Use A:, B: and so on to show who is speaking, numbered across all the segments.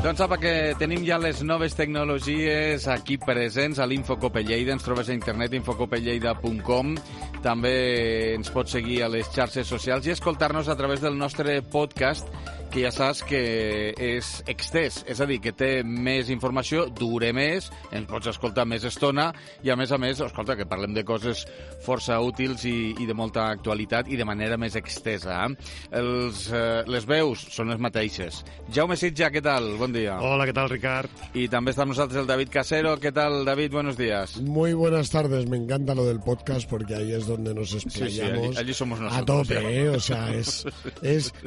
A: Doncs sap que tenim ja les noves tecnologies aquí presents a l'Infocope Lleida. Ens trobes a internet infocopelleida.com. També ens pots seguir a les xarxes socials i escoltar-nos a través del nostre podcast, que ja saps que és extès, és a dir, que té més informació, dura més, ens pots escoltar més estona i, a més, escolta, que parlem de coses força útils i de molta actualitat i de manera més extesa. Les veus són les mateixes. Jaume Sitja, què tal? Bon dia.
B: Hola, ¿qué tal, Ricard?
A: Y también está con nosotros el David Casero. ¿Qué tal, David? Buenos días.
C: Muy buenas tardes. Me encanta lo del podcast porque ahí es donde nos explayamos.
A: Sí, allí somos nosotros.
C: A tope, o sea,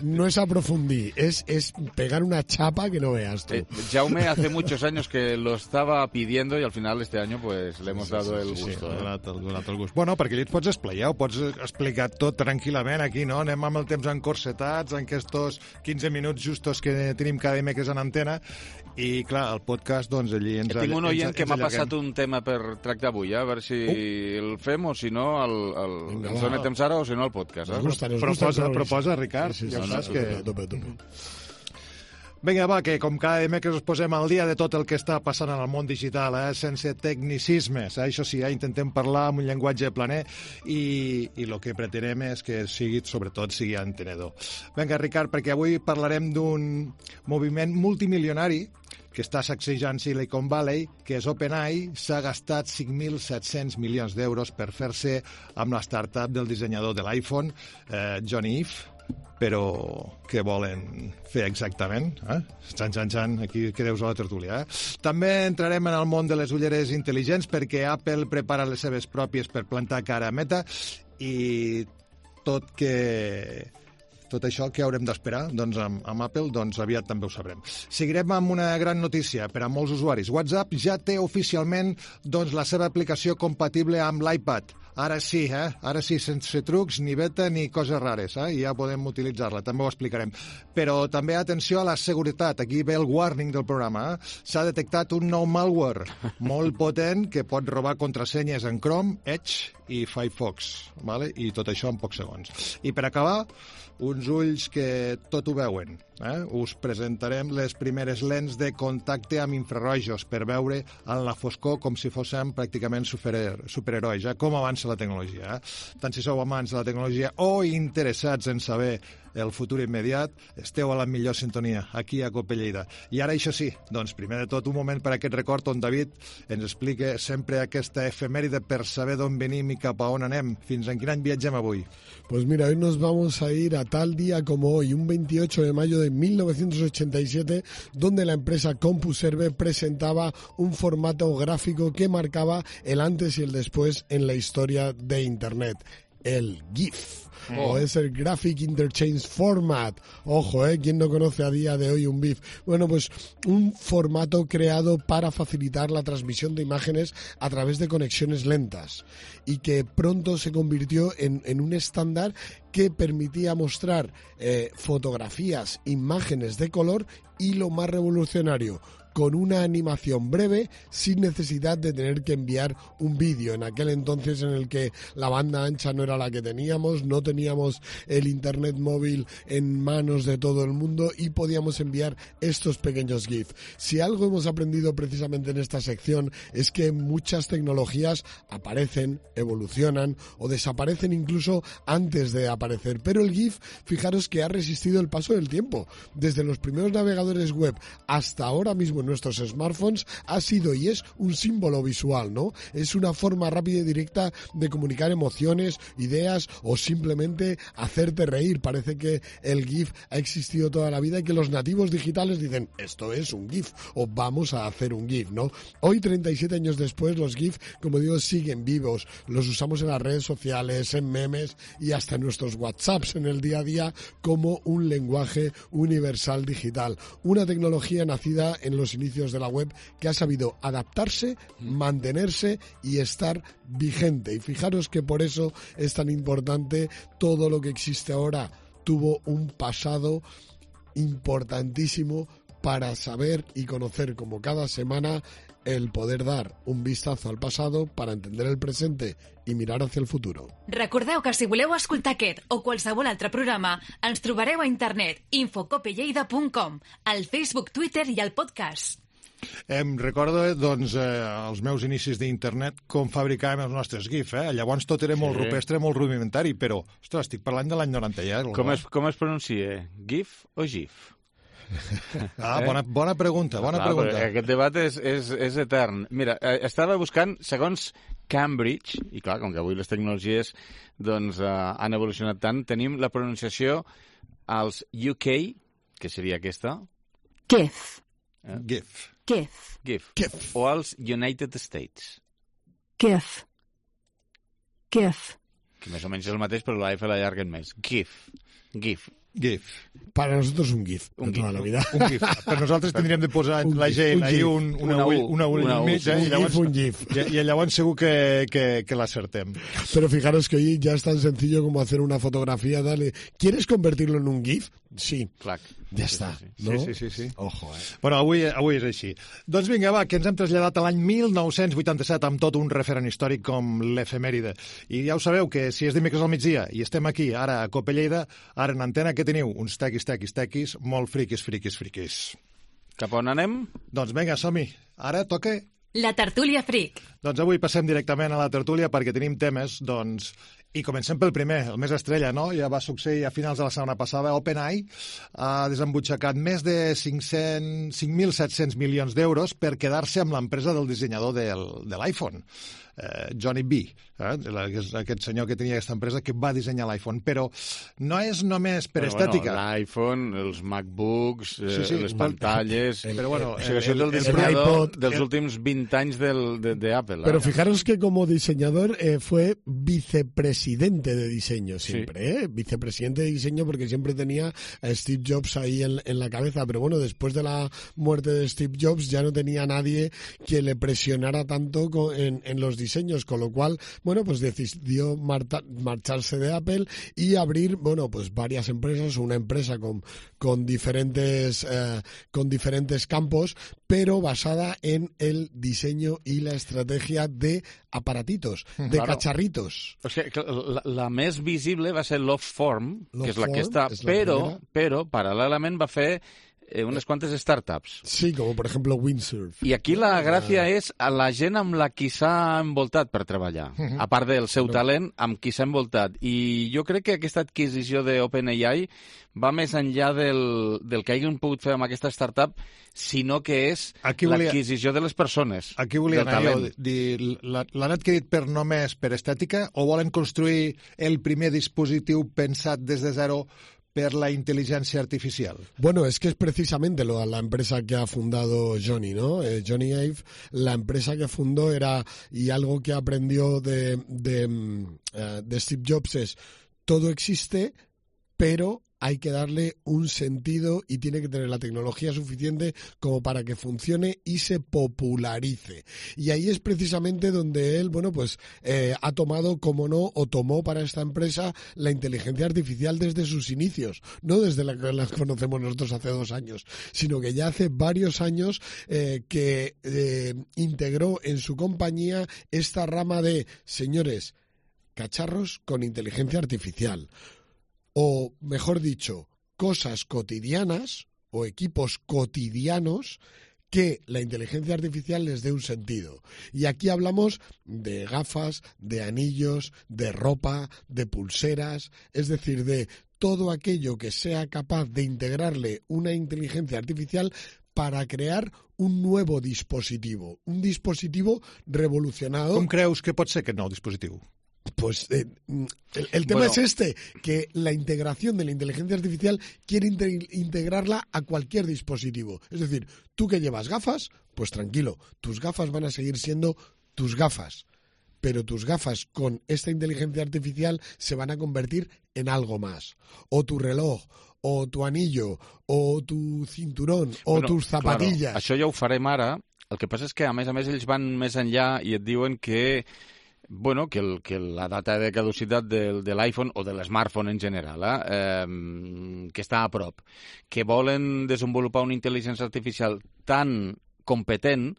C: no es aprofundir, es pegar una chapa que no veas tú.
A: Jaume hace muchos años que lo estaba pidiendo y al final este año pues le hemos dado el gusto.
B: Sí, donat el gust. Bueno, perquè allí et pots explayar, ho pots explicar tot tranquil·lament aquí, no? Anem amb el temps encorsetats, en aquests 15 minuts justos que tenim cada dimecres en antena, i clar, el podcast, doncs allí ens
A: tinc un oient que m'ha passat un tema per tractar avui, a veure si el fem o si no ens dona temps ara o si no el podcast.
B: Proposa, Ricard.
C: Sí,
B: ja saps que...
C: A tope.
B: Vinga, va, que com cada dimecres us posem al dia de tot el que està passant en el món digital, sense tecnicismes. Això sí, intentem parlar amb un llenguatge planer i el que pretenem és que sobretot sigui entenedor. Vinga, Ricard, perquè avui parlarem d'un moviment multimilionari que està sacsejant Silicon Valley, que és OpenAI. S'ha gastat 5.700 milions d'euros per fer-se amb la startup del dissenyador de l'iPhone, Johnny Ive. Però què volen fer exactament? Xan, aquí quedeu a la tertúlia. També entrarem en el món de les ulleres intel·ligents perquè Apple prepara les seves pròpies per plantar cara a Meta i tot això que haurem d'esperar doncs, amb Apple, doncs aviat també ho sabrem. Seguirem amb una gran notícia per a molts usuaris. WhatsApp ja té oficialment doncs, la seva aplicació compatible amb l'iPad. Ara sí, sense trucs, ni beta, ni coses rares, i ja podem utilitzar-la, també ho explicarem. Però també atenció a la seguretat, aquí ve el warning del programa. S'ha detectat un nou malware molt potent que pot robar contrasenyes en Chrome, Edge i Firefox, vale? I tot això en pocs segons. I per acabar, uns ulls que tot ho veuen. Us presentarem les primeres lents de contacte amb infrarrojos per veure en la foscor com si fóssim pràcticament superherois, com avança la tecnologia. Tant si sou amants de la tecnologia o interessats en saber el futur immediat, esteu a la millor sintonia, aquí a Cope Lleida. I ara, això sí, doncs primer de tot un moment per a aquest record on David ens explica sempre aquesta efemèride per saber d'on venim i cap a on anem. Fins en quin any viatgem avui?
C: Pues mira, hoy nos vamos a ir a tal día como hoy, un 28 de mayo de 1987, donde la empresa CompuServe presentaba un formato gráfico que marcaba el antes y el después en la historia de Internet, el GIF. O es el Graphic Interchange Format. Ojo, ¿quién no conoce a día de hoy un GIF? Bueno, pues un formato creado para facilitar la transmisión de imágenes a través de conexiones lentas y que pronto se convirtió en un estándar que permitía mostrar fotografías, imágenes de color y lo más revolucionario, con una animación breve sin necesidad de tener que enviar un vídeo. En aquel entonces en el que la banda ancha no era la que teníamos, no teníamos el internet móvil en manos de todo el mundo y podíamos enviar estos pequeños GIF. Si algo hemos aprendido precisamente en esta sección es que muchas tecnologías aparecen, evolucionan o desaparecen incluso antes de aparecer, pero el GIF, fijaros que ha resistido el paso del tiempo. Desde los primeros navegadores web hasta ahora mismo en nuestros smartphones ha sido y es un símbolo visual, ¿no? Es una forma rápida y directa de comunicar emociones, ideas o simplemente hacerte reír. Parece que el GIF ha existido toda la vida y que los nativos digitales dicen, esto es un GIF o vamos a hacer un GIF, ¿no? Hoy, 37 años después, los GIF, como digo, siguen vivos. Los usamos en las redes sociales, en memes y hasta en nuestros WhatsApps en el día a día como un lenguaje universal digital. Una tecnología nacida en los inicios de la web que ha sabido adaptarse, mantenerse y estar vigente. Y fijaros que por eso es tan importante todo lo que existe ahora. Tuvo un pasado importantísimo para saber y conocer como cada semana el poder dar un vistazo al pasado para entender el presente i mirar hacia el futuro.
D: Recordeu que si voleu escoltar aquest o qualsevol altre programa, ens trobareu a internet infocopelleida.com, al Facebook, Twitter i al podcast.
B: Em recordo, doncs, els meus inicis d'internet, com fabricàvem els nostres GIF, Llavors tot era molt rupestre, molt rudimentari, però, ostres, estic parlant de l'any 90 ja.
A: Com es pronuncia? GIF o GIF?
B: Bona pregunta, pregunta.
A: Aquest debat és etern. Mira, estava buscant, segons Cambridge, i clar, com que avui les tecnologies doncs, han evolucionat tant, tenim la pronunciació als UK, que seria aquesta.
D: GIF.
B: GIF.
A: GIF. O als United States.
D: GIF.
A: Que més o menys és el mateix, però la F l'allarguen més. GIF.
C: Para nosotros un GIF, de toda la vida.
B: Un GIF. Per nosaltres tindríem de posar la G i una ull al mig,
C: un GIF.
B: Y llavors segur que l'acertem.
C: Pero fijaros que hoy ya es tan sencillo como hacer una fotografía, dale, ¿quieres convertirlo en un GIF? Sí.
A: Clac.
C: Ja està, no?
B: Sí.
C: Ojo,
B: Bueno, avui és així. Doncs vinga, va, que ens hem traslladat a l'any 1987 amb tot un referent històric com l'efemèride. I ja ho sabeu, que si és dimecres al migdia i estem aquí, ara a Copelleida, ara en antena, que teniu? Uns tequis, molt friquis.
A: Cap on anem?
B: Doncs vinga, som-hi. Ara toca...
D: La tertúlia fric.
B: Doncs avui passem directament a la tertúlia perquè tenim temes, doncs... I comencem pel primer, el més estrella, no? Ja va succeir a finals de la setmana passada. OpenAI ha desembutxacat més de 5.700 milions d'euros per quedar-se amb l'empresa del dissenyador de l'iPhone, Johnny B, aquest senyor que tenia aquesta empresa que va dissenyar l'iPhone. Però no és només per estètica.
A: L'iPhone, els MacBooks, les pantalles...
B: Però bueno,
A: això és el dissenyador dels últims 20 anys d'Apple.
C: Pero fijaros que como diseñador fue vicepresidente de diseño siempre, vicepresidente de diseño, porque siempre tenía a Steve Jobs ahí en la cabeza. Pero bueno, después de la muerte de Steve Jobs ya no tenía nadie que le presionara tanto en los diseños, con lo cual, bueno, pues decidió marcharse de Apple y abrir, bueno, pues varias empresas, una empresa con diferentes campos, pero basada en el diseño y la estrategia de aparatitos, de cacharritos.
A: O sigui, la més visible va ser Loveform, que és la que està, però paral·lelament va fer unes quantes startups.
C: Sí, como por ejemplo Windsurf.
A: I aquí la gràcia és a la gent amb la qui s'ha envoltat per treballar, a part del seu talent, amb qui s'ha envoltat. I jo crec que aquesta adquisició d'OpenAI va més enllà del que hagin pogut fer amb aquesta startup, sinó que és l'adquisició de les persones.
B: Aquí volia anar jo, dir, l'han adquirit només per estètica o volen construir el primer dispositiu pensat des de zero per la inteligencia artificial?
C: Bueno, es que es precisamente la empresa que ha fundado Johnny, ¿no? Johnny Ive, la empresa que fundó era, y algo que aprendió de Steve Jobs es, todo existe, pero hay que darle un sentido y tiene que tener la tecnología suficiente como para que funcione y se popularice. Y ahí es precisamente donde él, bueno, pues ha tomado, como no, o tomó para esta empresa la inteligencia artificial desde sus inicios, no desde la que la conocemos nosotros hace 2 años, sino que ya hace varios años que integró en su compañía esta rama de, señores, cacharros con inteligencia artificial. O, mejor dicho, cosas cotidianas o equipos cotidianos que la inteligencia artificial les dé un sentido. Y aquí hablamos de gafas, de anillos, de ropa, de pulseras, es decir, de todo aquello que sea capaz de integrarle una inteligencia artificial para crear un nuevo dispositivo, un dispositivo revolucionado.
B: Com creus que pot ser aquest nou dispositiu?
C: Pues el tema es este, que la integración de la inteligencia artificial quiere integrarla a cualquier dispositivo. Es decir, tú que llevas gafas, pues tranquilo, tus gafas van a seguir siendo tus gafas, pero tus gafas con esta inteligencia artificial se van a convertir en algo más. O tu reloj, o tu anillo, o tu cinturón, o tus zapatillas.
A: Claro, això ja ho farem ara. El que passa és que, a més, ells van més enllà i et diuen que bueno, que la data de caducitat de l'iPhone o de l'smartphone en general, que està a prop, que volen desenvolupar una intel·ligència artificial tan competent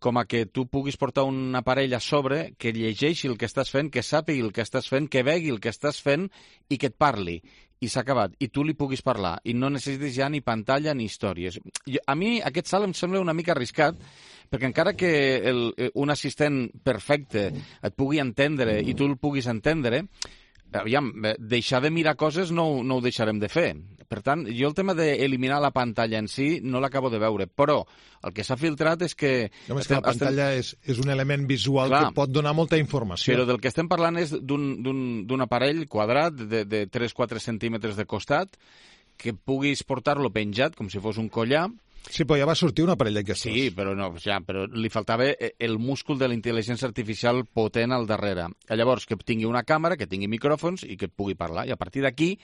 A: com a que tu puguis portar un aparell a sobre que llegeixi el que estàs fent, que sàpigui el que estàs fent, que vegi el que estàs fent i que et parli. I s'ha acabat. I tu li puguis parlar. I no necessites ja ni pantalla ni històries. A mi aquest salt em sembla una mica arriscat, perquè encara que un assistent perfecte et pugui entendre i tu el puguis entendre, aviam, deixar de mirar coses no ho deixarem de fer. Per tant, jo el tema d'eliminar la pantalla en si no l'acabo de veure, però el que s'ha filtrat és que...
B: La pantalla és un element visual que pot donar molta informació.
A: Però del que estem parlant és d'un aparell quadrat de 3-4 centímetres de costat que puguis portar-lo penjat com si fos un collar.
B: Sí, però ja va sortir un aparell d'aquestos.
A: Sí, però li faltava el múscul de la intel·ligència artificial potent al darrere. Llavors, que tingui una càmera, que tingui micròfons i que pugui parlar. I a partir d'aquí,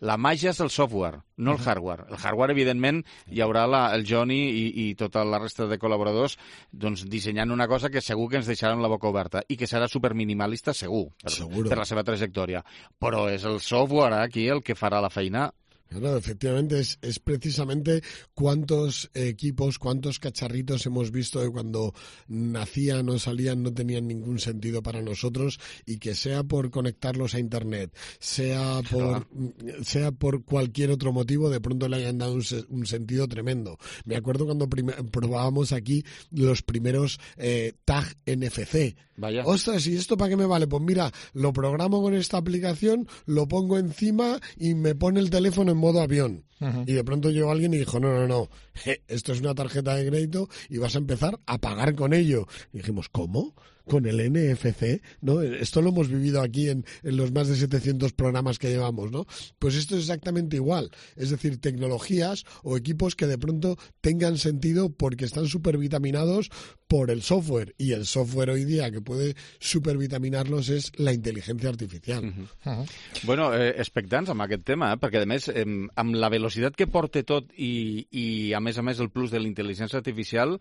A: la màgia és el software, no el hardware. El hardware, evidentment, hi haurà el Johnny i tota la resta de col·laboradors dissenyant una cosa que segur que ens deixaran la boca oberta i que serà superminimalista, segur, per la seva trajectòria. Però és el software aquí el que farà la feina.
C: Claro, efectivamente, es precisamente cuántos equipos, cuántos cacharritos hemos visto de cuando nacían o salían no tenían ningún sentido para nosotros, y que sea por conectarlos a Internet, sea por cualquier otro motivo, de pronto le hayan dado un sentido tremendo. Me acuerdo cuando probábamos aquí los primeros tag NFC.
A: Vaya.
C: Ostras, ¿y esto para qué me vale? Pues mira, lo programo con esta aplicación, lo pongo encima y me pone el teléfono en modo avión. Uh-huh. Y de pronto llegó alguien y dijo, no, esto es una tarjeta de crédito y vas a empezar a pagar con ello. Y dijimos, ¿cómo? ¿Con el NFC? ¿No? Esto lo hemos vivido aquí en los más de 700 programas que llevamos, ¿no? Pues esto es exactamente igual. Es decir, tecnologías o equipos que de pronto tengan sentido porque están supervitaminados por el software. Y el software hoy día que puede supervitaminarlos és la intel·ligència artificial.
A: Uh-huh. Bueno, expectants amb aquest tema, perquè a més, amb la velocitat que porta tot i a més el plus de la intel·ligència artificial,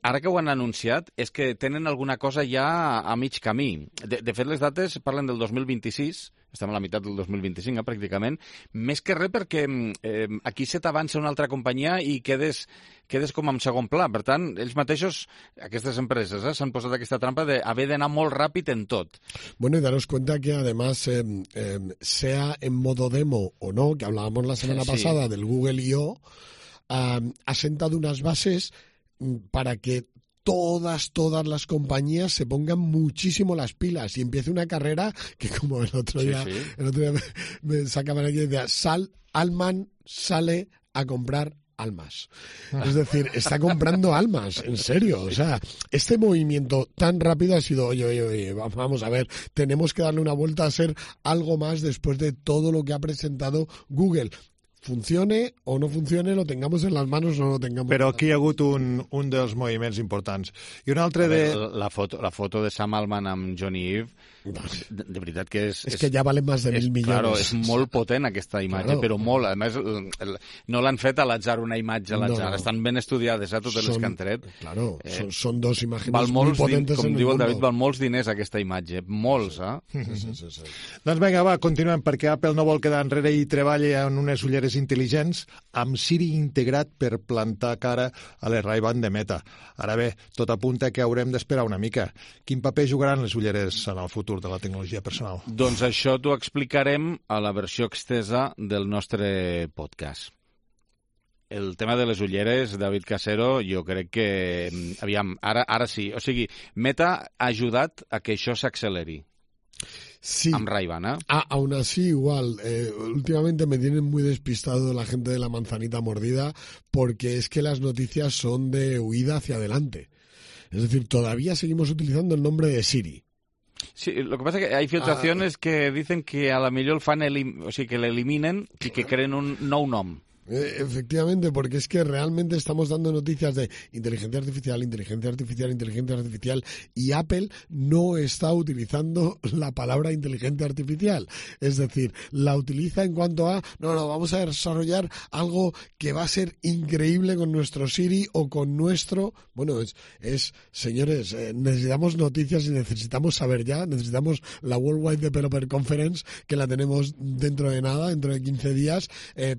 A: ara que ho han anunciat, és que tenen alguna cosa ja a mig camí. De fet, les dates parlen del 2026, estem a la meitat del 2025, pràcticament, més que res perquè aquí se t'avança una altra companyia i quedes com en segon pla. Per tant, ells mateixos, aquestes empreses, s'han posat aquesta trampa d'haver d'anar molt ràpid en tot.
C: Bueno, y daros cuenta que además, sea en modo demo o no, que hablábamos la semana pasada del Google I.O., ha sentado unas bases para que todas las compañías se pongan muchísimo las pilas y empiece una carrera que, como el otro día me sacaban aquí, decía, Alman sale a comprar almas. Es decir, está comprando almas, en serio. O sea, este movimiento tan rápido ha sido, oye, vamos a ver, tenemos que darle una vuelta a ser algo más después de todo lo que ha presentado Google. Funcione o no funcione, lo tengamos en las manos o no lo tengamos.
B: Però aquí hi ha hagut un dels moviments importants. I un altre
A: La foto de Sam Altman amb Johnny Ive, de veritat que és...
C: És que ja valen més de 1.000 milions.
A: Claro, és molt potent aquesta imatge, però molt. A més, no l'han fet a l'atzar, una imatge a l'atzar. Estan ben estudiades, totes les que han tret.
C: Claro, són dos imatges molt potentes.
A: Com diu el David, val molts diners aquesta imatge. Molts,
C: Sí.
B: Doncs vinga, va, continuem, perquè Apple no vol quedar enrere i treballa en unes ulleres intel·ligents amb Siri integrat per plantar cara a les Ray-Ban de Meta. Ara bé, tot apunta que haurem d'esperar una mica. Quin paper jugaran les ulleres en el futur de la tecnologia personal?
A: Doncs això t'ho explicarem a la versió extesa del nostre podcast. El tema de les ulleres, David Casero, jo crec que... Aviam, ara sí. O sigui, Meta ha ajudat a que això s'acceleri.
C: Sí.
A: Amb Ray-Ban,
C: aún así, igual, últimamente me tienen muy despistado la gente de la manzanita mordida, porque es que las noticias son de huida hacia adelante. Es decir, todavía seguimos utilizando el nombre de Siri.
A: Sí, lo que pasa es que hay filtraciones que dicen que a la millor el fan, o sigui, que l'eliminen i que creen un nou nom.
C: Efectivamente, porque es que realmente estamos dando noticias de inteligencia artificial, y Apple no está utilizando la palabra inteligencia artificial. Es decir, la utiliza en cuanto a, no, vamos a desarrollar algo que va a ser increíble con nuestro Siri o con nuestro... Bueno, señores, necesitamos noticias y necesitamos saber ya, necesitamos la Worldwide Developer Conference, que la tenemos dentro de nada, dentro de 15 días,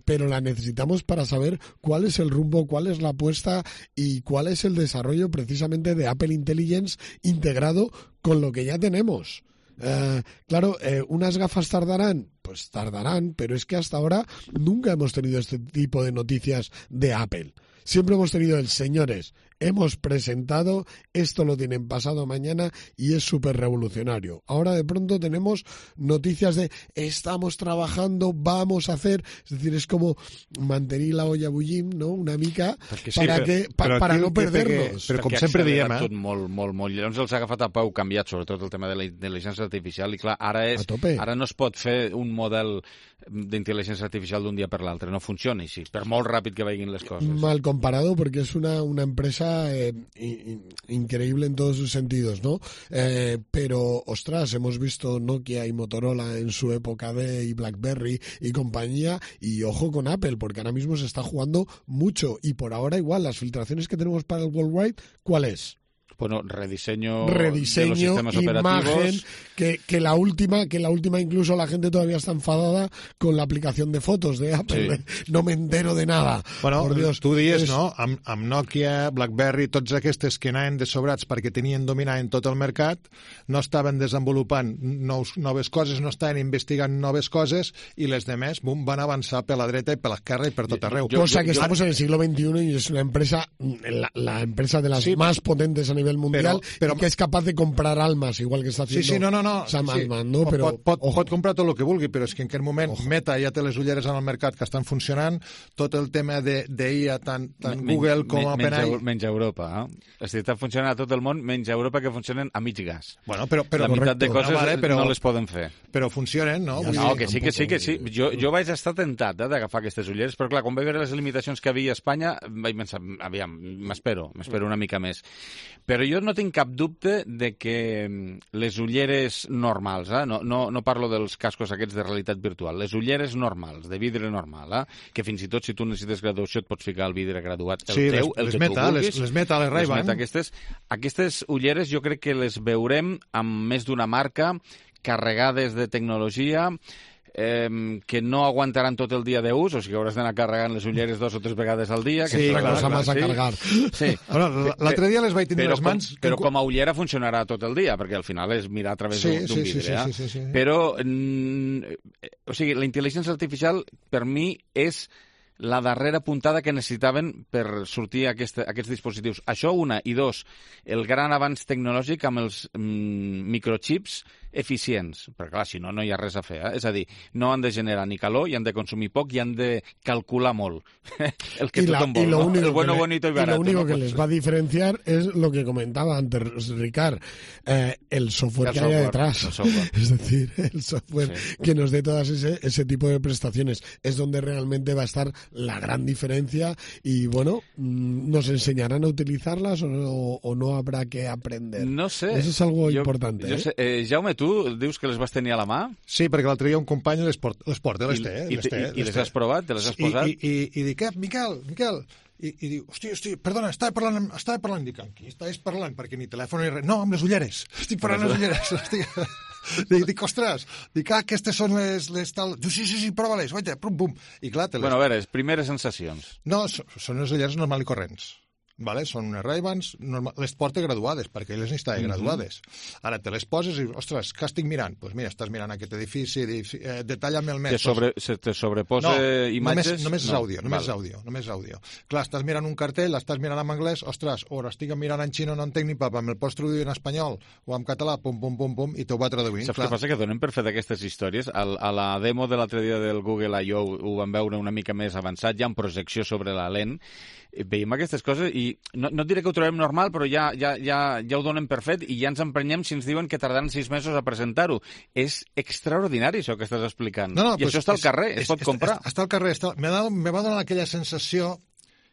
C: pero la necesitamos necesitamos para saber cuál es el rumbo, cuál es la apuesta y cuál es el desarrollo precisamente de Apple Intelligence integrado con lo que ya tenemos. Claro, unas gafas tardarán, pues tardarán, pero es que hasta ahora nunca hemos tenido este tipo de noticias de Apple. Siempre hemos tenido señores, hemos presentado, esto lo tienen pasado mañana y es súper revolucionario. Ahora de pronto tenemos noticias de estamos trabajando, vamos a hacer, es decir, es como mantenir la olla bullim, no? Una mica, para no perdernos.
B: Però com sempre diem,
A: tot molt. Llavors els ha agafat a peu canviat, sobretot el tema de la intel·ligència artificial, i clar, ara no es pot fer un model d'intel·ligència artificial d'un dia per l'altre, no funciona així, per molt ràpid que vagin les coses.
C: Mal comparado porque es una empresa increíble en todos sus sentidos, ¿no? Pero, ostras, hemos visto Nokia y Motorola en su época y BlackBerry y compañía, y ojo con Apple, porque ahora mismo se está jugando mucho, y por ahora igual, las filtraciones que tenemos para el Worldwide, ¿cuál es?
A: Bueno, rediseño de los sistemas
C: imagen,
A: operativos.
C: Que la última incluso la gente todavía está enfadada con la aplicación de fotos de Apple. Sí. No me entero de nada.
B: Bueno,
C: por Dios,
B: tu dius, no? Amb Nokia, BlackBerry, tots aquests que anaven de sobrats perquè tenien dominant tot el mercat, no estaven desenvolupant noves coses, no estaven investigant noves coses, i les demés, bum, van avançar per la dreta i per l'esquerra i per tot arreu.
C: Cosa que estamos en el siglo XXI y es una empresa, la empresa de las más potentes a nivel mundial, pero que es capaz de comprar almas, igual que está haciendo Sam Altman, ¿no? Pero
B: pot comprar tot el que vulgui, però és que en aquest moment Meta ja té les ulleres en el mercat que estan funcionant, tot el tema d'IA, tant Google com OpenAI...
A: Menys Europa, eh? És a dir, està funcionant a tot el món, menys Europa, que funcionen a mig gas.
B: Bueno, però
A: la meitat de coses no les poden fer.
B: Però funcionen, no?
A: No, que sí. Jo vaig estar tentat d'agafar aquestes ulleres, però clar, quan vaig veure les limitacions que havia a Espanya, vaig pensar, aviam, m'espero una mica més. Però jo no tinc cap dubte de que les ulleres normals, no parlo dels cascos aquests de realitat virtual, les ulleres normals, de vidre normal, que fins i tot si tu necessites graduació et pots ficar el vidre graduat, el teu, el que tu vulguis.
B: Les Meta, les Ray-Ban.
A: Aquestes ulleres jo crec que les veurem amb més d'una marca, carregades de tecnologia, que no aguantaran tot el dia d'ús, o sigui que hauràs d'anar carregant les ulleres 2 o 3 vegades al dia.
C: Sí, la cosa més a carregar.
A: Sí.
B: L'altre dia les vaig tenir les mans...
A: Però com a ullera funcionarà tot el dia, perquè al final és mirar a través d'un vidre.
B: Sí.
A: Però, o sigui, la intel·ligència artificial, per mi, és la darrera puntada que necessitaven per sortir aquests dispositius. Això, una, i dos, el gran avanç tecnològic amb els microchips eficients, perquè clar, si no, no hi ha res a fer. És a dir, no han de generar ni calor, i han de consumir poc, i han de calcular molt. El que tothom vol, ¿no? El bueno, bonito y barato.
C: Y lo único que les va a diferenciar es lo que comentaba antes Ricard, el software que haya detrás. Es decir, el software que nos dé todas ese tipo de prestaciones. Es donde realmente va a estar la gran diferencia y, bueno, ¿nos enseñarán a utilizarlas o no habrá que aprender?
A: No sé.
C: Eso es algo importante.
A: Jo sé. Jaume, tu dius que les vas tenir a la mà?
B: Sí, perquè l'altre dia un company les porta, les té.
A: I les has provat? Te les has posat?
B: I dic, Miquel, i diu, hòstia, perdona, estava parlant, dic, amb qui estaves parlant? Perquè ni telèfon ni res. No, amb les ulleres. Estic parlant amb les ulleres. Dic, ostres, aquestes són les tal... Diu, sí, prova-les, guaita, pum. I clar,
A: Bueno, a veure, primeres sensacions.
B: No, són les ulleres normal i corrents. Vale? Són unes Ray-Bans, les porta graduades, perquè elles n'estaven graduades. Ara te les poses i, ostres, què estic mirant? Doncs mira, estàs mirant aquest edifici, detalla'm el més.
A: Te sobreposa imatges?
B: Només és àudio. Clar, estàs mirant un cartell, estàs mirant en anglès, ostres, o estic mirant en xino, no entenc ni papa, me'l pots traduir en espanyol o en català, pum, i t'ho va traduint.
A: Saps què passa? Que donem per fet aquestes històries. A la demo de l'altre dia del Google I.O. ho vam veure una mica més avançat, ja amb projecció sobre la lent, veiem aquestes coses i no et diré que ho trobem normal, però ja ho donem per fet i ja ens emprenyem si ens diuen que tardaran 6 mesos a presentar-ho. És extraordinari això que estàs explicant. I això està al carrer, es pot comprar.
B: Està al carrer. Me va donar aquella sensació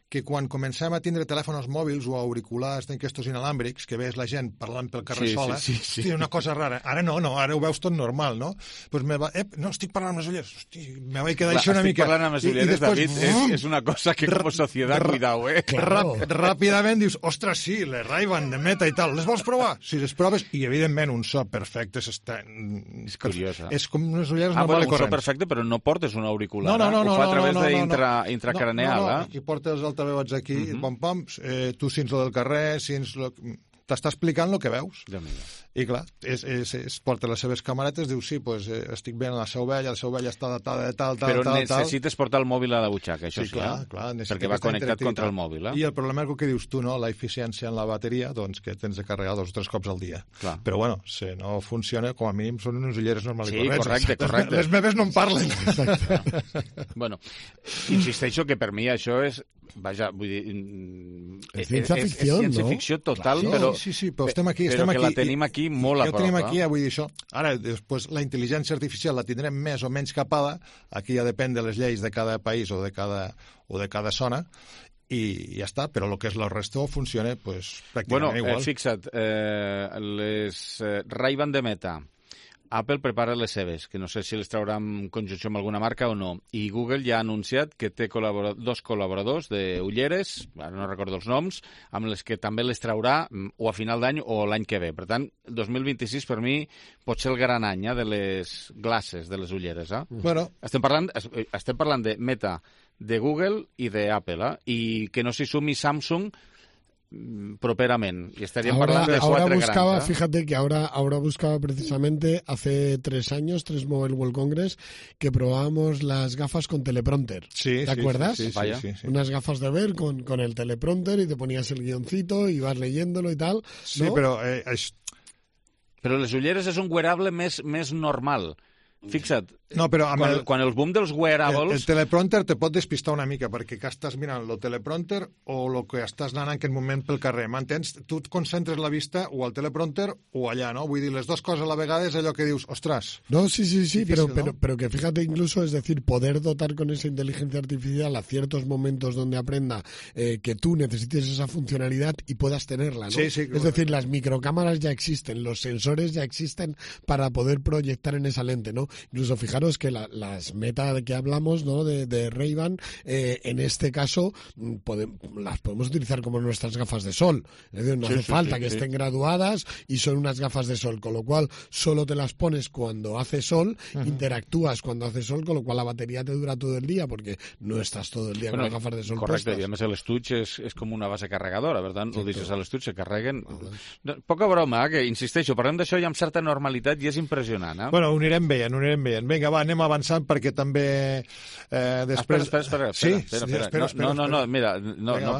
B: que quan comencem a tindre telèfons mòbils o auriculars d'aquestos inalàmbrics, que veus la gent parlant pel carrer sola, és una cosa rara. Ara no, ara ho veus tot normal, no? Pues no, estic parlant amb les ulleres. Hosti, me vaig quedar això una mica...
A: Estic parlant amb les ulleres, David, és una cosa que com a societat, cuidao,
B: Ràpidament dius, ostres, sí, les Ray-Ban de Meta i tal, les vols provar? Si les proves, i evidentment un so perfecte, és
A: curiós,
B: és com unes ulleres normals i corrents.
A: Un so perfecte, però no portes un auricular, ho fa a través intracraneal.
B: Aquí portes els altaveus aquí, pom-pom, tu sents lo del carrer, t'està explicant el que veus. I clar, porta les seves camaretes, diu, sí, pues, estic veient la seva ovella està datada de tal.
A: Però necessites portar el mòbil a la butxaca, això sí,
B: clar,
A: perquè va connectat contra el mòbil.
B: I el problema és el que dius tu, no? La eficiència en la bateria, doncs que tens de carregar 2 o 3 cops al dia. Però bueno, si no funciona, com a mínim són unes ulleres normals i correctes.
A: Sí, correcte.
B: Les meves no en parlen.
A: Bueno, insisteixo que per mi això és... Vaja, vull dir...
C: És ciència-ficció, no?
A: És ciència-ficció total, però...
B: Sí, però estem aquí.
A: Però que la tenim aquí molt a prop.
B: Ja ho tenim aquí, vull dir això. Ara, després, la intel·ligència artificial la tindrem més o menys capada. Aquí ja depèn de les lleis de cada país o de cada zona, i ja està, però el que és el resto funciona pràcticament igual.
A: Fixa't, les Ray-Ban de Meta, Apple prepara les seves, que no sé si les traurà en conjunció amb alguna marca o no, i Google ja ha anunciat que té 2 col·laboradors d'ulleres, ara no recordo els noms, amb les que també les traurà o a final d'any o l'any que ve. Per tant, 2026 per mi pot ser el gran any de les glasses, de les ulleres.
B: Bueno.
A: Estem parlant de Meta, de Google i d'Apple, i que no s'hi sumi Samsung properamente. Y estarían hablando de
C: ahora buscaba, grandes, fíjate que ahora buscaba precisamente hace 3 años, 3 Mobile World Congress, que probábamos las gafas con teleprompter.
B: Sí,
C: ¿te acuerdas?
B: Sí.
C: Unas gafas de ver con el teleprompter y te ponías el guioncito y vas leyéndolo y tal, ¿no?
B: Sí, pero...
A: Però les ulleres és un wearable més normal. Fixa't,
B: no, però
A: quan el boom dels wearables...
B: El teleprompter te pot despistar una mica, perquè que estàs mirant el teleprompter o el que estàs anant en aquest moment pel carrer, m'entens? Tu et concentres la vista o al teleprompter o allà, ¿no? Vull dir, les dues coses a la vegada és allò que dius, ostras...
C: No, sí, difícil, pero que fíjate incluso, es decir, poder dotar con esa inteligencia artificial a ciertos momentos donde aprenda que tú necesites esa funcionalidad y puedas tenerla, ¿no?
B: Sí,
C: es decir, las microcámaras ya existen, los sensores ya existen para poder proyectar en esa lente, ¿no? Incluso fijaros que las Meta de que hablamos, ¿no? de Ray-Ban, en este caso las podemos utilizar como nuestras gafas de sol. Es decir, no hace falta que estén graduadas y son unas gafas de sol, con lo cual solo te las pones cuando hace sol, interactúas cuando hace sol, con lo cual la batería te dura todo el día porque no estás todo el día con las gafas de sol
A: correcte,
C: puestas.
A: I a més l'estuig és com una base carregadora, per tant, ho deixes a l'estuig, se carreguen... Poca broma, que insisteixo, parlem d'això ja amb certa normalitat i és impressionant.
B: Bueno, ho anirem veient. Vinga, va, anem avançant perquè també després...
A: Espera. No, mira,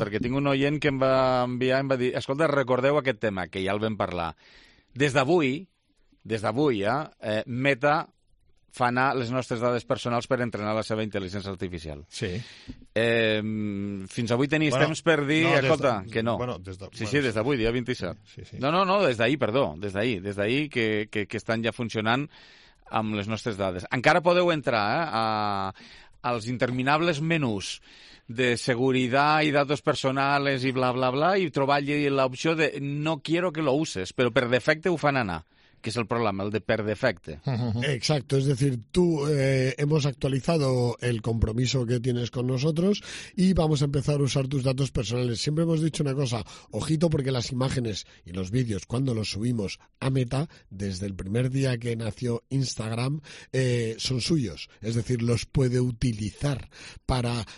A: perquè tinc un oient que em va enviar, em va dir, escolta, recordeu aquest tema, que ja el vam parlar. Des d'avui, Meta fa anar les nostres dades personals per entrenar la seva intel·ligència artificial.
B: Sí.
A: Fins avui tenies temps per dir, escolta, que no. Sí, des d'avui, dia 27. Sí. No, des d'ahir, perdó, des d'ahir que estan ja funcionant amb les nostres dades. Encara podeu entrar als interminables menús de seguridad y datos personales y bla, bla, bla, y trobar allí l'opció de no quiero que lo uses, però per defecte ho fan anar, que es el problema, el de per defecte.
C: Exacto, es decir, tú hemos actualizado el compromiso que tienes con nosotros y vamos a empezar a usar tus datos personales. Siempre hemos dicho una cosa, ojito, porque las imágenes y los vídeos, cuando los subimos a Meta, desde el primer día que nació Instagram, son suyos. Es decir, los puede utilizar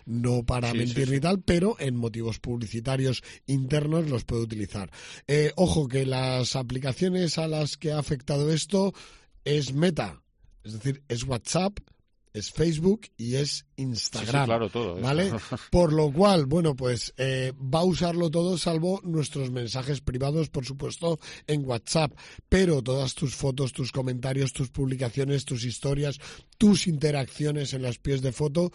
C: no para mentir ni tal, pero en motivos publicitarios internos los puede utilizar. Ojo, que las aplicaciones a las que ha afectado esto es Meta, es decir, es WhatsApp, es Facebook y es Instagram.
A: Sí, claro, todo.
C: ¿Vale? Por lo cual, bueno, pues va a usarlo todo salvo nuestros mensajes privados, por supuesto, en WhatsApp. Pero todas tus fotos, tus comentarios, tus publicaciones, tus historias, tus interacciones en las pies de foto,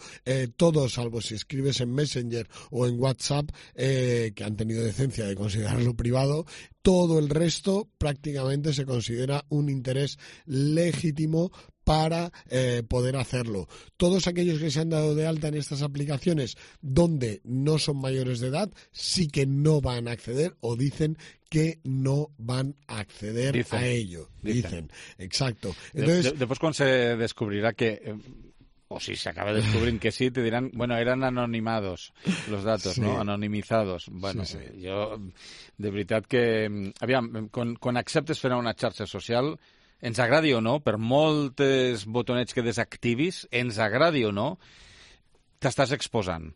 C: todo salvo si escribes en Messenger o en WhatsApp, que han tenido decencia de considerarlo privado, todo el resto prácticamente se considera un interés legítimo para poder hacerlo. Todos aquellos que se han dado de alta en estas aplicaciones donde no son mayores de edad, sí que no van a acceder o dicen que no van a acceder a ello. Dicen. Exacto. Entonces,
A: después cuando se descubrirá que... o si se acaba descubriendo que sí, te dirán, bueno, eran anonimados los datos, no? Anonimizados. Bueno, jo, de veritat que... Aviam, quan acceptes fer una xarxa social, ens agradi o no, per moltes botonets que desactivis, ens agradi o no, t'estàs exposant.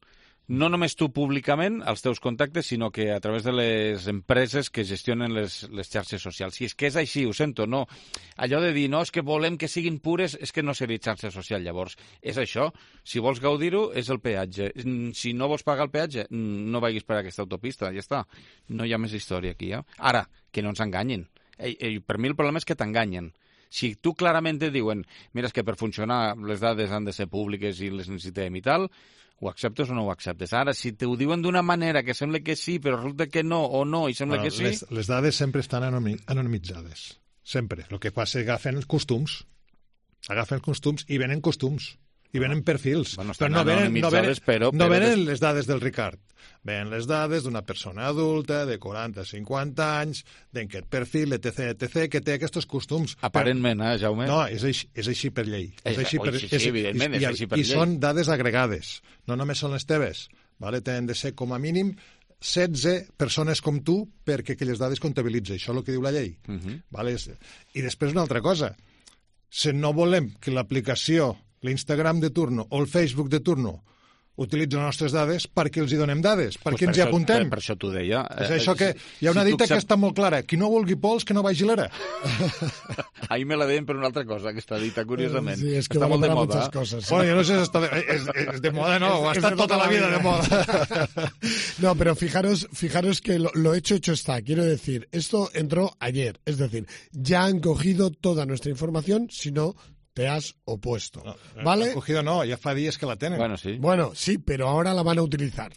A: No només tu públicament, als teus contactes, sinó que a través de les empreses que gestionen les xarxes socials. Si és que és així, ho sento, no. Allò de dir, no, és que volem que siguin pures, és que no seria xarxa social, llavors. És això. Si vols gaudir-ho, és el peatge. Si no vols pagar el peatge, no vagis per aquesta autopista, ja està. No hi ha més història aquí, ja. Ara, que no ens enganyin. Per mi el problema és que t'enganyen. Si tu clarament et diuen, mira, és que per funcionar les dades han de ser públiques i les necessitem i tal, ho acceptes o no ho acceptes? Ara, si t'ho diuen d'una manera que sembla que sí, però resulta que no, o no, i sembla que sí...
B: Les dades sempre estan anonimitzades. Sempre. El que passa és que agafen els costums. Agafen els costums i venen costums. I venen perfils.
A: Bueno, estan anonimitzades, però...
B: No venen les dades del Ricard. Venen les dades d'una persona adulta de 40-50 anys, d'aquest perfil, etc., que té aquests costums.
A: Aparentment, Jaume?
B: No, és així per llei.
A: Sí, evidentment, és així per llei.
B: I són dades agregades, no només són les teves. Vale? Tenen de ser com a mínim 16 persones com tu perquè aquelles dades comptabilitzen. Això és el que diu la llei. Vale? I després una altra cosa. Si no volem que l'aplicació, l'Instagram de turno o el Facebook de turno utilitzen les nostres dades, perquè els hi donem dades, perquè ens hi apuntem.
A: Per això t'ho deia.
B: És això que hi ha una dita que està molt clara. Qui no vulgui pols, que no vagi l'era.
A: Ahir me la deien per una altra cosa, aquesta dita, curiosament.
C: Sí, és que està molt de moda. Coses.
B: Bueno, jo no sé si està és de moda, no, ha estat tota la vida de moda.
C: No, pero fijaros que lo hecho está. Quiero decir, esto entró ayer. Es decir, ya han cogido toda nuestra información, si no... te has opuesto, ¿vale?
B: Cogido no, ya fa días que la tienen.
C: Bueno, sí, pero ahora la van a utilizar,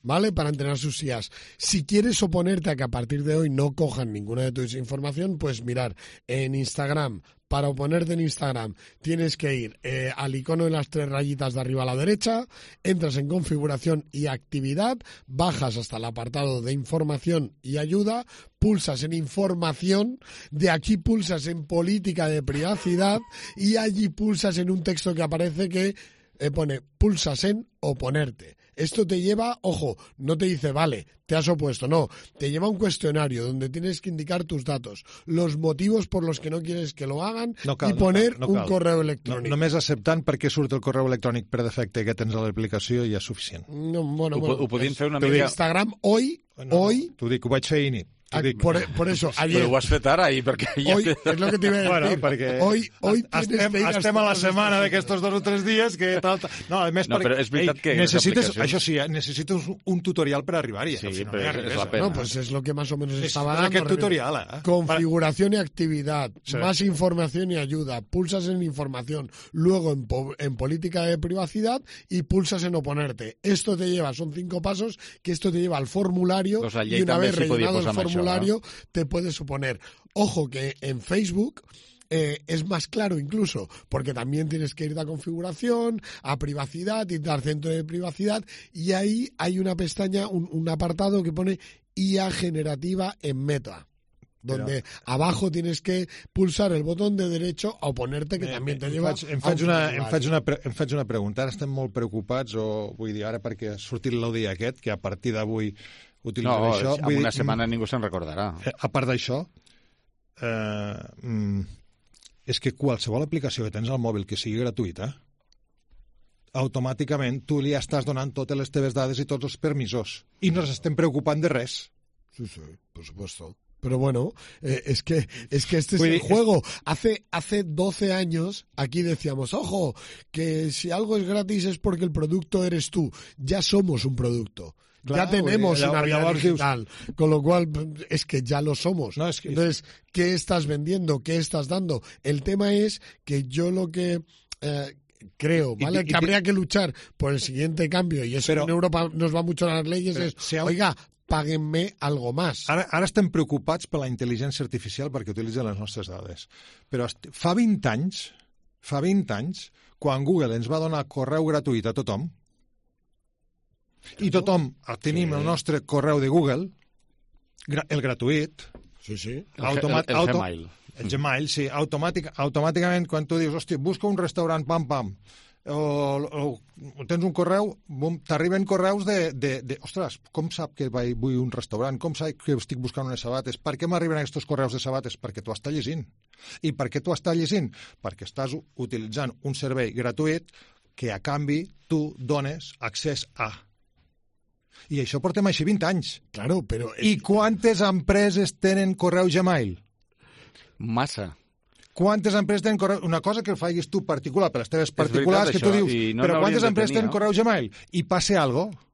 C: ¿vale? Para entrenar sus IAs. Si quieres oponerte a que a partir de hoy no cojan ninguna de tu información, pues mirar en Instagram. Para oponerte en Instagram tienes que ir al icono de las 3 rayitas de arriba a la derecha, entras en configuración y actividad, bajas hasta el apartado de información y ayuda, pulsas en información, de aquí pulsas en política de privacidad y allí pulsas en un texto que aparece que pone pulsas en oponerte. Esto te lleva, ojo, no te dice, vale, te has opuesto, no. Te lleva a un cuestionario donde tienes que indicar tus datos, los motivos por los que no quieres que lo hagan i poner un correu electrònic.
B: Només acceptant perquè surt el correu electrònic per defecte que tens a l'aplicació ja és suficient.
C: No, bueno,
A: ho podien fer una mica...
C: Instagram, hoy...
B: T'ho dic, ho vaig fer ahir.
C: Por eso, ayer...
A: Però ho has fet ara, perquè...
C: Hoy, es lo que te iba a decir.
B: Bueno, perquè
C: hoy
B: estem a la setmana d'aquests 2 o 3 dies que tal... No, a més,
A: però és veritat que...
B: Això sí, necessites un tutorial per arribar-hi.
A: Sí, però és la pena.
C: No, pues es lo que más o menos estaba dando.
B: Aquest tutorial,
C: Configuración y actividad, más información y ayuda, pulsas en información, luego en política de privacidad y pulsas en oponerte. Esto te lleva, son 5 pasos, que esto te lleva al formulario y una vez rellenado el formulario te puedes suponer. Ojo que en Facebook es más claro incluso, porque también tienes que ir a configuración, a privacidad, ir al centro de privacidad y ahí hay una pestaña, un apartado que pone IA generativa en Meta. Donde abajo tienes que pulsar el botón de derecho a oponerte, que també te lleva...
B: Em faig una pregunta. Ara estem molt preocupats, o vull dir, ara perquè ha sortit l'Audi aquest, que a partir d'avui utilitzarà això...
A: No, en una setmana ningú se'n recordarà.
B: A part d'això, és que qualsevol aplicació que tens al mòbil que sigui gratuïta, automàticament tu li estàs donant totes les teves dades i tots els permisos. I no ens estem preocupant de res.
C: Sí, por supuesto. Pero bueno, es que este es el juego. Hace 12 años aquí decíamos, ojo, que si algo es gratis es porque el producto eres tú. Ya somos un producto. Claro, ya tenemos una vida digital, con lo cual es que ya lo somos. No, entonces, ¿qué estás vendiendo? ¿Qué estás dando? El tema es que yo lo que... creo, ¿vale? Que habría que luchar por el siguiente cambio, y eso en Europa nos va mucho a las leyes, oiga, pàguenme algo más.
B: Ara estem preocupats per la intel·ligència artificial perquè utilitzen les nostres dades. Però fa 20 anys fa 20 anys, quan Google ens va donar correu gratuït a tothom, i tothom tenim el nostre correu de Google, el gratuït,
C: Sí.
A: El Gmail.
B: El Gmail, sí. Automàticament, quan tu dius, hòstia, busca un restaurant, pam, o tens un correu, t'arriben correus de ostres, com sap que vull un restaurant? Com sap que estic buscant unes sabates? Per què m'arriben aquests correus de sabates? Perquè tu estàs llegint. I per què tu estàs llegint? Perquè estàs utilitzant un servei gratuït que a canvi tu dones accés a. I això portem així 20 anys.
C: Claro, però...
B: I quantes empreses tenen correu Gmail?
A: Massa.
B: Quantes empreses tenen correu... Una cosa que el facis tu particular, per les teves particulars, que tu dius, però quantes empreses tenen correu Gmail? I passa alguna cosa.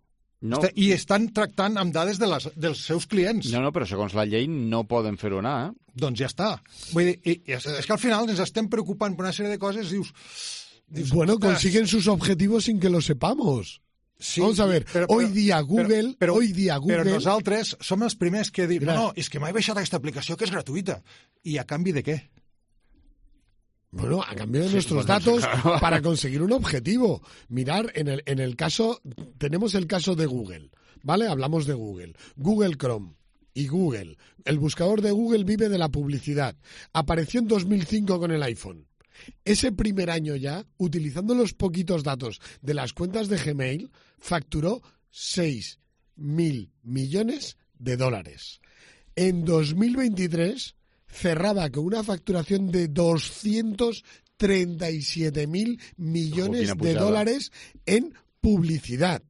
A: No.
B: I estan tractant amb dades dels seus clients.
A: No, però segons la llei no poden fer-ho anar.
B: Doncs ja està. Vull dir, és que al final ens estem preocupant per una sèrie de coses i dius
C: bueno, consiguen sus objetivos sin que lo sepamos. Sí, vamos a ver, hoy día Google...
B: Però nosaltres som els primers que diuen no, és que m'he baixat aquesta aplicació que és gratuïta. I a canvi de què?
C: Bueno, a cambio de nuestros datos para conseguir un objetivo. Mirar, en el caso, tenemos el caso de Google, ¿vale? Hablamos de Google. Google Chrome y Google. El buscador de Google vive de la publicidad. Apareció en 2005 con el iPhone. Ese primer año ya, utilizando los poquitos datos de las cuentas de Gmail, facturó 6.000 millones de dólares. En 2023... cerraba con una facturación de 237.000 millones de dólares en publicidad.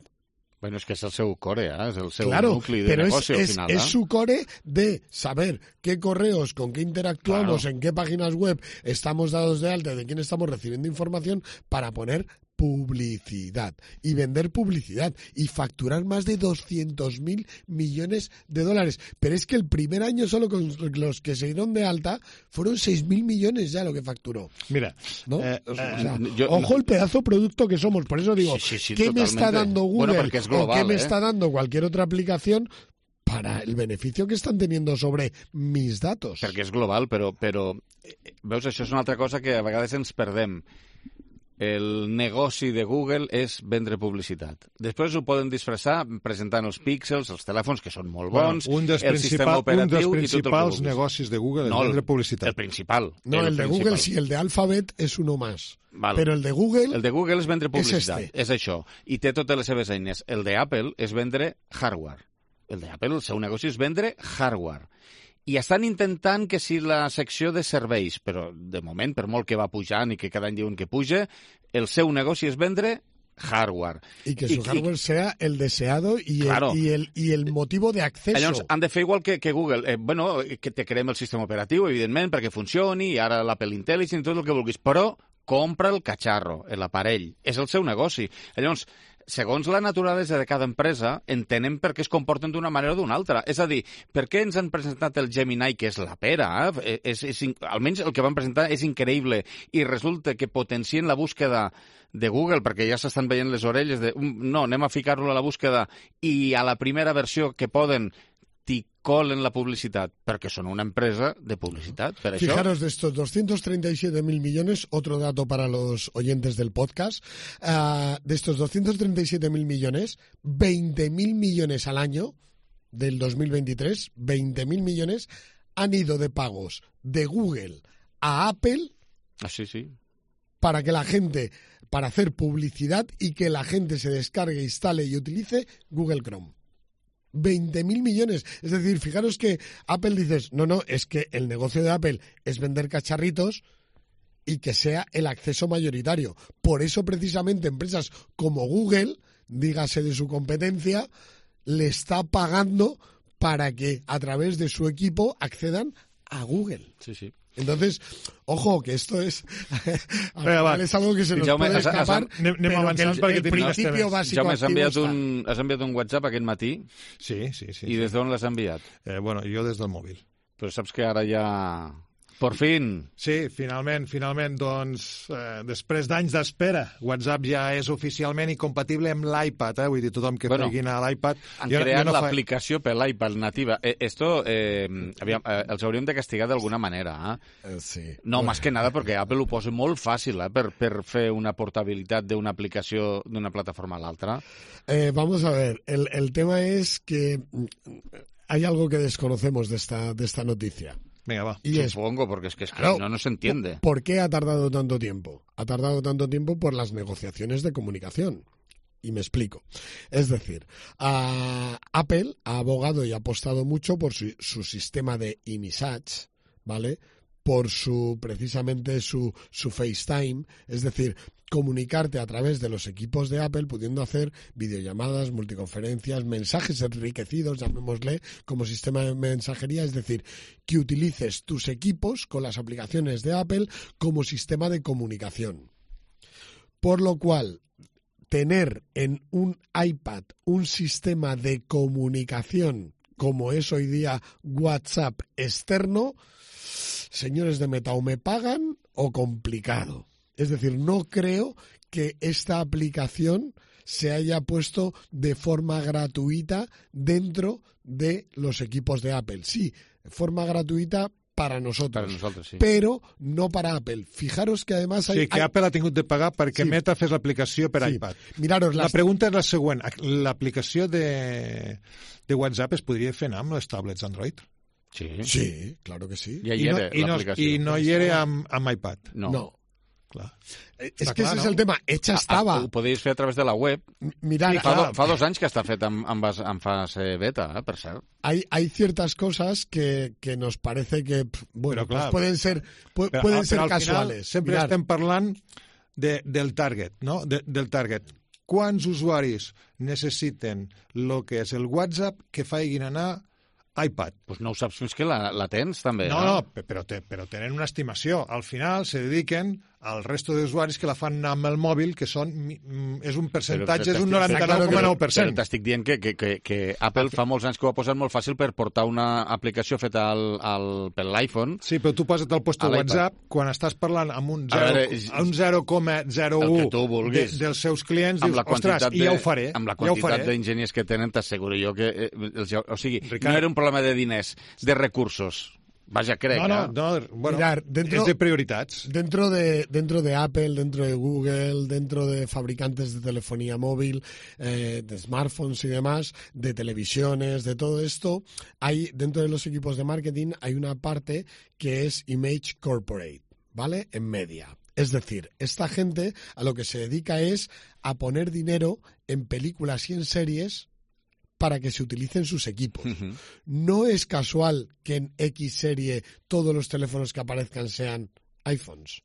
A: Bueno, es que es el seu core, es el seu nucli de negocio al final.
C: Es su core de saber qué correos, con qué interactuamos, en qué páginas web estamos dados de alta, de quién estamos recibiendo información para poner publicidad y vender publicidad y facturar más de 200.000 millones de dólares. Pero es que el primer año solo con los que se dieron de alta fueron 6.000 millones ya lo que facturó.
B: Mira,
C: ¿no? Ojo el pedazo producto que somos. Por eso digo,
A: sí,
C: ¿qué
A: totalmente.
C: me está dando Google
A: bueno, es global,
C: o qué me está dando cualquier otra aplicación para el beneficio que están teniendo sobre mis datos?
A: Perquè és global, però veus, això és una altra cosa que a vegades ens perdem. El negoci de Google és vendre publicitat. Després ho poden disfressar presentant els píxels, els telèfons, que són molt bons, el sistema operatiu i tot el que
B: principals negocis de Google és vendre publicitat.
A: El principal.
C: No, el de Google sí, el de Alphabet és uno más.
A: Vale.
C: Però el de Google...
A: El de Google és vendre publicitat, és això. I té totes les seves eines. El de Apple és vendre hardware. El de Apple, el seu negoci és vendre hardware. I estan intentant que si la secció de serveis, però de moment, per molt que va pujant i que cada any diuen que puja, el seu negoci és vendre hardware.
C: Y que su hardware sea el deseado y,
A: claro.
C: y el motivo de acceso.
A: Llavors, han de fer igual que Google. Bueno, que te creem el sistema operatiu, evidentment, perquè funcioni, i ara l'Apple Intelligence i tot el que vulguis, però compra el catxarro, l'aparell. És el seu negoci. Llavors, segons la naturalesa de cada empresa, entenem per què es comporten d'una manera o d'una altra. És a dir, per què ens han presentat el Gemini, que és la pera? Almenys el que van presentar és increïble, i resulta que potencien la búsqueda de Google, perquè ja s'estan veient les orelles de no, anem a ficar-lo a la búsqueda, i a la primera versió que poden t'hi colen la publicitat, perquè són una empresa de publicitat. Per això...
C: Fijaros, de estos 237.000 millones, otro dato para los oyentes del podcast, de estos 237.000 millones, 20.000 millones al año del 2023, 20.000 millones han ido de pagos de Google a Apple
A: sí.
C: para que la gente, para hacer publicidad y que la gente se descargue, instale y utilice Google Chrome. 20.000 millones. Es decir, fijaros que Apple dices, no, es que el negocio de Apple es vender cacharritos y que sea el acceso mayoritario. Por eso, precisamente, empresas como Google, dígase de su competencia, le está pagando para que a través de su equipo accedan a Google.
A: Sí.
C: Entonces, ojo, que esto es es algo que se nos puede escapar,
B: pero
C: que el principio básico
A: Jaume,
C: activo
A: has enviat un WhatsApp aquest matí?
B: Sí.
A: I des d'on l'has enviat?
B: Bueno, jo des del mòbil.
A: Però saps que ara ja Por fin.
B: Sí, finalment, doncs, després d'anys d'espera, WhatsApp ja és oficialment incompatible amb l'iPad, vull dir, tothom que faci a l'iPad...
A: Han creat l'aplicació per l'iPad nativa. Esto els hauríem de castigar d'alguna manera.
C: Sí.
A: No, más que nada, perquè Apple ho posa molt fàcil per fer una portabilitat d'una aplicació d'una plataforma a l'altra.
C: Vamos a ver, el tema es que hay algo que desconocemos de esta noticia.
B: Venga, va.
A: Supongo, porque es que claro, no se entiende.
C: ¿Por qué ha tardado tanto tiempo? Ha tardado tanto tiempo por las negociaciones de comunicación. Y me explico. Es decir, Apple ha abogado y ha apostado mucho por su sistema de iMessage, ¿vale? Por precisamente su FaceTime, es decir, comunicarte a través de los equipos de Apple, pudiendo hacer videollamadas, multiconferencias, mensajes enriquecidos, llamémosle, como sistema de mensajería, es decir, que utilices tus equipos con las aplicaciones de Apple como sistema de comunicación. Por lo cual, tener en un iPad un sistema de comunicación como es hoy día WhatsApp externo, señores de Meta, o me pagan o complicado. Es decir, no creo que esta aplicación se haya puesto de forma gratuita dentro de los equipos de Apple. Sí, de forma gratuita para nosotros,
A: sí.
C: Però no para Apple. Fijaros que además
B: Sí, que Apple ha tingut de pagar perquè Meta fes l'aplicació per iPad.
C: Miraros
B: la pregunta és la següent. L'aplicació de WhatsApp es podria fer anar amb les tablets Android?
C: Sí, claro que sí.
B: I no hi era amb iPad?
C: No.
B: Clar.
C: És que ese és el tema. Hecha estava.
A: Ho podíeu fer a través de la web.
C: Mirar,
A: fa 2 anys que està fet en fase beta, per cert.
C: Hay ciertas cosas que nos parece que, bueno,
B: pues
C: pueden ser casuales.
B: Sempre estem parlant del target, no? Del target. Quants usuaris necessiten el que és el WhatsApp que facin anar iPad?
A: Pues no ho saps fins que la tens, també.
B: No, però tenen una estimació. Al final se dediquen al resto d'usuaris que la fan amb el mòbil, que és un percentatge, és un 99,9%.
A: Però t'estic dient que Apple fa molts anys que ho ha posat molt fàcil per portar una aplicació feta per l'iPhone.
B: Sí, però tu posa't al puesto WhatsApp, quan estàs parlant amb un 0,01 dels seus clients, dius, ostres, i ja ho faré.
A: Amb la quantitat d'enginyers que tenen, t'asseguro jo que... O sigui, no era un problema de diners, de recursos. Vaja, crec,
B: bueno, mirar, es de prioridades.
C: Dentro de Apple, dentro de Google, dentro de fabricantes de telefonía móvil, de smartphones y demás, de televisiones, de todo esto, dentro de los equipos de marketing hay una parte que es Image Corporate, ¿vale? En media. Es decir, esta gente a lo que se dedica es a poner dinero en películas y en series para que se utilicen sus equipos. No es casual que en X serie todos los teléfonos que aparezcan sean iPhones,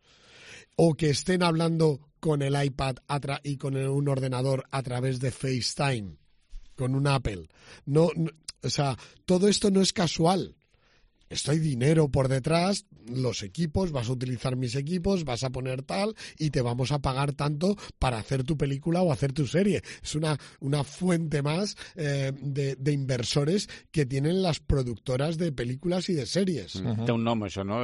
C: o que estén hablando con el iPad y con un ordenador a través de FaceTime, con un Apple. No, o sea, todo esto no es casual. Esto hay dinero por detrás, los equipos, vas a utilizar mis equipos, vas a poner tal y te vamos a pagar tanto para hacer tu película o hacer tu serie. Es una fuente más de inversores que tienen las productoras de películas y de series.
A: Té un nom, això, no?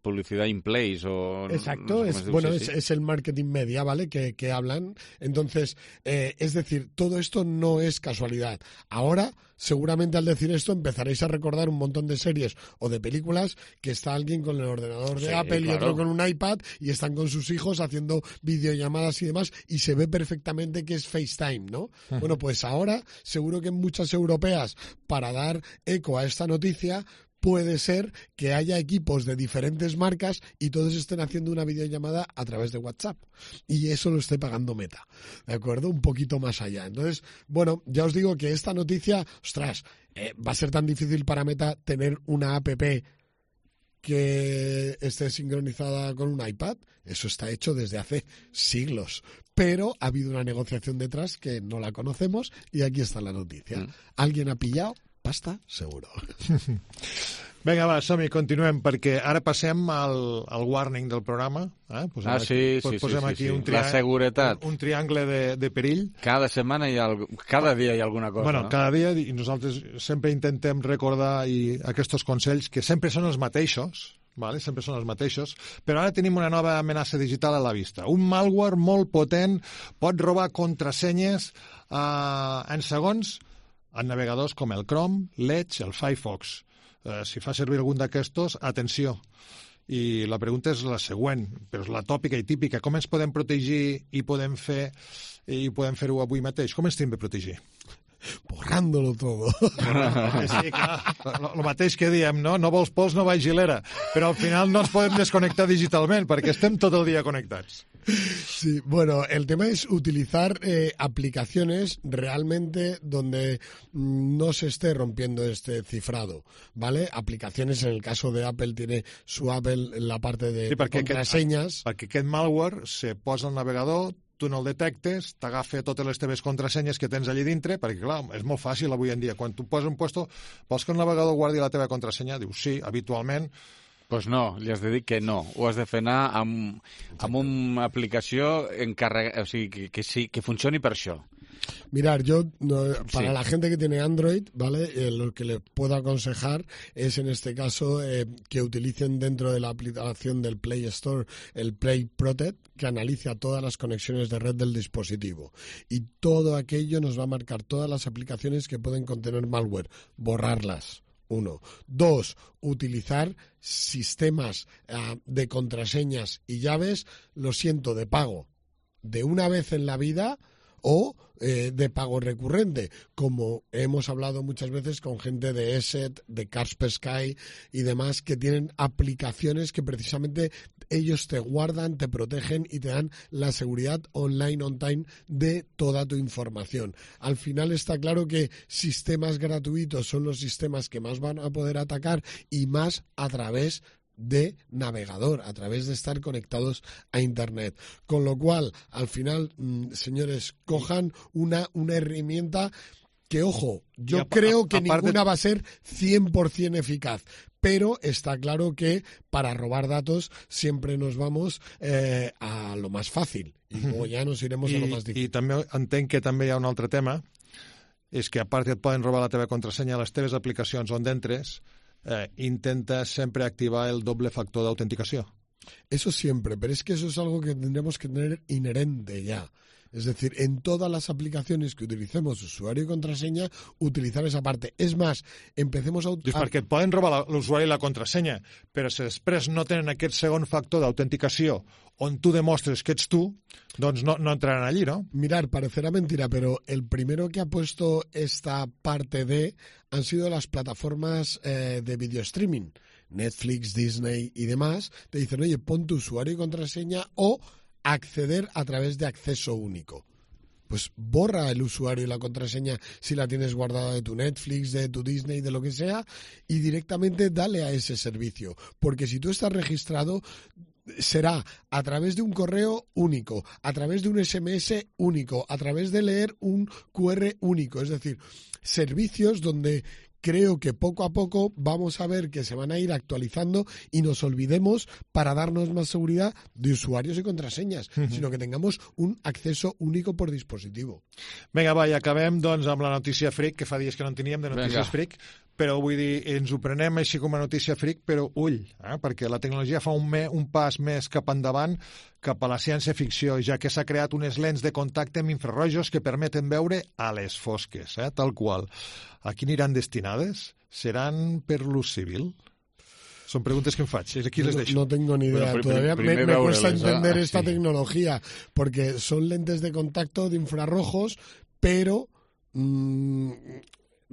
A: Publicidad in place o...
C: Exacto, es el marketing media, ¿vale? Que hablan. Entonces, es decir, todo esto no es casualidad. Ahora, seguramente al decir esto empezaréis a recordar un montón de series o de películas que está alguien con el ordenador de Apple y otro con un iPad y están con sus hijos haciendo videollamadas y demás y se ve perfectamente que es FaceTime, ¿no? Bueno, pues ahora seguro que en muchas europeas, para dar eco a esta noticia, puede ser que haya equipos de diferentes marcas y todos estén haciendo una videollamada a través de WhatsApp. Y eso lo esté pagando Meta, ¿de acuerdo? Un poquito más allá. Entonces, bueno, ya os digo que esta noticia, ostras, va a ser tan difícil para Meta tener una app que esté sincronizada con un iPad. Eso está hecho desde hace siglos. Pero ha habido una negociación detrás que no la conocemos y aquí está la noticia. ¿Alguien ha pillado? Pasta, seguro.
B: Vinga, va, som-hi, continuem, perquè ara passem al warning del programa. Posem aquí
A: la seguretat.
B: Un triangle de perill.
A: Cada setmana cada dia hi ha alguna cosa.
B: Bueno, cada dia, i nosaltres sempre intentem recordar aquests consells que sempre són els mateixos, vale? Sempre són els mateixos, però ara tenim una nova amenaça digital a la vista. Un malware molt potent pot robar contrasenyes en segons en navegadors com el Chrome, l'Edge, el Firefox. Si fa servir algun d'aquestos, atenció. I la pregunta és la següent, però és la tòpica i típica. Com ens podem protegir i podem fer-ho avui mateix? Com ens hem de protegir?
C: Borrándolo todo.
B: Sí, clar, el mateix que diem, no? No vols pols, no vaig gilera. Però al final no ens podem desconnectar digitalment perquè estem tot el dia connectats.
C: Sí, bueno, el tema es utilizar aplicaciones realmente donde no se esté rompiendo este cifrado, ¿vale? Aplicaciones, en el caso de Apple, tiene su Apple en la parte de contrasenyes.
B: Perquè aquest malware se posa al navegador, tu no el detectes, t'agafa totes les teves contrasenyes que tens allí dintre, perquè, clar, és molt fàcil avui en dia. Quan tu poses un puesto, vols que el navegador guardi la teva contrasenya? Dius, sí, habitualment.
A: Pues no, li has de dir que no. Ho has de fer anar amb una aplicació o sigui, que funcioni per això.
C: Mirar, para la gente que tiene Android, ¿vale? Lo que le puedo aconsejar es, en este caso, que utilicen dentro de la aplicación del Play Store el Play Protect, que analiza todas las conexiones de red del dispositivo. Y todo aquello nos va a marcar todas las aplicaciones que pueden contener malware, borrarlas. 1. 2. Utilizar sistemas de contraseñas y llaves, lo siento, de pago de una vez en la vida o de pago recurrente, como hemos hablado muchas veces con gente de ESET, de Kaspersky y demás, que tienen aplicaciones que precisamente ellos te guardan, te protegen y te dan la seguridad online, on time de toda tu información. Al final está claro que sistemas gratuitos son los sistemas que más van a poder atacar y más a través de navegador, a través de estar conectados a Internet. Con lo cual, al final, señores, cojan una herramienta que, ojo, yo creo que ninguna va a ser 100% eficaz, pero está claro que para robar datos siempre nos vamos a lo más fàcil i luego ja nos iremos a lo más difícil.
B: I també entenc que també hi ha un altre tema, és que a part et poden robar la teva contrasenya a les teves aplicacions on entres, intenta sempre activar el doble factor de autenticació.
C: Eso siempre, pero es que eso es algo que tendremos que tener inherente ya. Es decir, en todas las aplicaciones que utilicemos usuario y contraseña, utilizar esa parte. És més, empecemos a...
B: Dius, perquè et poden robar l'usuari i la contrasenya, però si després no tenen aquest segon factor d'autenticació on tu demostres que ets tu, doncs no entraran allí, ¿no?
C: Mirar, parecerá mentira, pero el primero que ha puesto esta parte de han sido las plataformas de video streaming. Netflix, Disney y demás. Te dicen, oye, pon tu usuario y contraseña o acceder a través de acceso único. Pues borra el usuario y la contraseña si la tienes guardada de tu Netflix, de tu Disney, de lo que sea, y directamente dale a ese servicio. Porque si tú estás registrado, será a través de un correo único, a través de un SMS único, a través de leer un QR único. Es decir, servicios donde creo que poco a poco vamos a ver que se van a ir actualizando y nos olvidemos para darnos más seguridad de usuarios y contrasenyes, sino que tengamos un acceso único por dispositivo.
B: Vinga, va, i acabem doncs, amb la notícia freak, que fa dies que no en teníem de notícies freak, però vull dir, ens ho prenem així com a notícia freak, però ull, perquè la tecnologia fa un pas més cap endavant, cap a la ciència-ficció, ja que s'ha creat unes lents de contacte amb infrarrojos que permeten veure a les fosques, tal qual. A qui aniran destinades? Seran per l'ús civil? Son preguntas que me faig. Aquí les deixo.
C: No tengo ni idea. Todavía me cuesta entender esta tecnología, porque son lentes de contacto de infrarrojos, pero...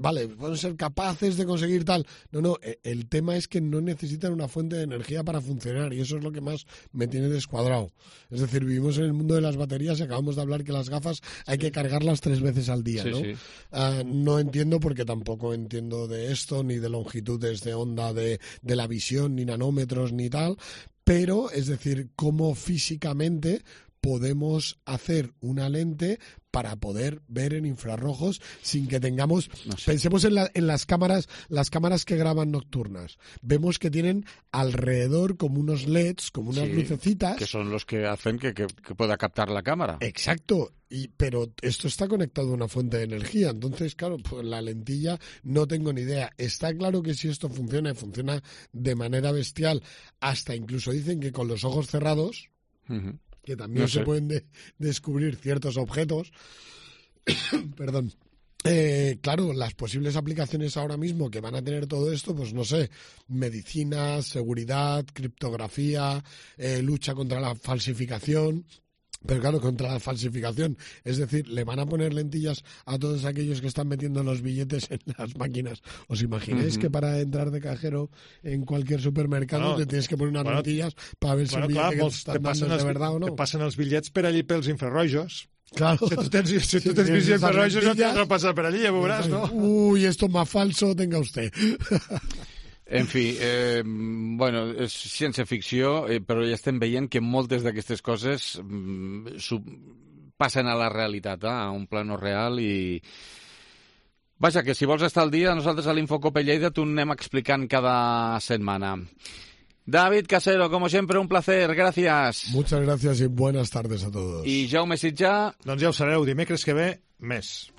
C: vale, pueden ser capaces de conseguir tal. No, el tema es que no necesitan una fuente de energía para funcionar y eso es lo que más me tiene descuadrado. Es decir, vivimos en el mundo de las baterías y acabamos de hablar que las gafas hay que cargarlas 3 veces al día, ¿no? Sí. No entiendo porque tampoco entiendo de esto, ni de longitudes de onda de la visión, ni nanómetros, ni tal, pero, es decir, cómo físicamente podemos hacer una lente para poder ver en infrarrojos sin que tengamos...
A: No sé.
C: Pensemos en las cámaras que graban nocturnas. Vemos que tienen alrededor como unos LEDs, como unas lucecitas.
A: Que son los que hacen que pueda captar la cámara.
C: Exacto. Pero esto está conectado a una fuente de energía. Entonces, claro, pues la lentilla no tengo ni idea. Está claro que si esto funciona, y funciona de manera bestial, hasta incluso dicen que con los ojos cerrados...
A: Uh-huh.
C: Que también se pueden descubrir ciertos objetos. Perdón. Claro, las posibles aplicaciones ahora mismo que van a tener todo esto, pues no sé, medicina, seguridad, criptografía, lucha contra la falsificación. Pero claro, contra la falsificación, es decir, le van a poner lentillas a todos aquellos que están metiendo los billetes en las máquinas. ¿Os imagináis que para entrar de cajero en cualquier supermercado te tienes que poner unas lentillas para ver si el billete que te están dando es de verdad o no?
B: Te passen els bitllets per allí pels infrarrojos.
C: Claro.
B: Si tu tens visió infrarrojos no t'has de passar per allí, ja veuràs, no?
C: Uy, esto es más falso, tenga usted.
A: En fi, bueno, és ciència-ficció, però ja estem veient que moltes d'aquestes coses passen a la realitat, a un plano real i... Vaja, que si vols estar al dia, nosaltres a l'Infocope Lleida t'ho anem explicant cada setmana. David Casero, como siempre, un placer, gracias.
C: Muchas gracias y buenas tardes a todos.
A: I Jaume Sitjà...
B: Doncs ja ho sabeu, dimecres que ve, més.